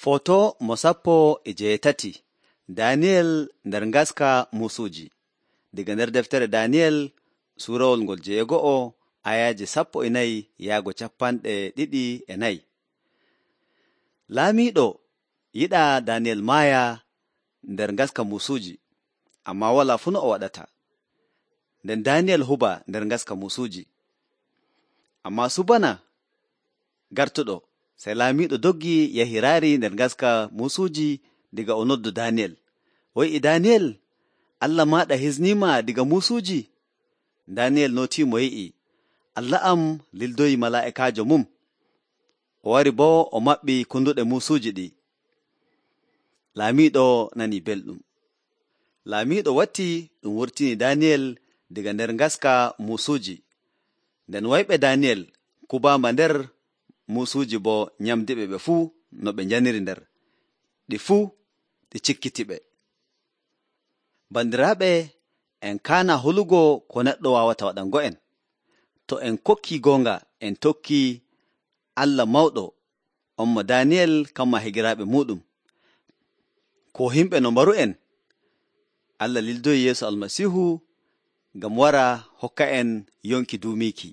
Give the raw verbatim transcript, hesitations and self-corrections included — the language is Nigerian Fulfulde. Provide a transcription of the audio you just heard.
Foto mo sappo e jeetati Daniyel nder ngaska muusuuji. Diga nder deftere Daniyel suurawol ngol jeego'o ayaaje sappo e nayi yaago capanɗe ɗiɗi e nayi. Laamiiɗo yiɗaa Daniyel maaya nder ngaska muusuuji, ammaa walaa fuu no o waɗata. Nden Daniyel huba nder ngaska muusuuji. Ammaa subana gartuɗo, sey laamiiɗo doggi yahi raari nder ngaska muusuuji diga o noddu Daniyel. O wi'i, Daniyel, Allah maaɗa hisniima diga muusuuji? Daniyel nootiimo yi'i, Allah am lildoyi malaa'ikaajo mum. O wari boo o maɓɓi kunduɗe muusuuji ɗi. Laamiiɗo nanii belɗum. Laamiiɗo watti ɗum wurtini Daniyel diga nder ngaska muusuuji. Nden wayɓe Daniyel kubaama nder muusuuji boo nyamdiɓe ɓe fuu no ɓe njaniri nder, ɗi fuu ɗi cikkitiɓe. Bandiraaɓe, en kaana holugo ko neɗɗo waawata waɗango'en. To en kokkii goonga, en tokkii Allah mawɗo, on mo Daniyel kamma higiraaɓe muuɗum. Ko himɓe no mbaru'en, Allah lildoyi Yeesu Almasiihu ngam wara hokka en yonki duumiiki.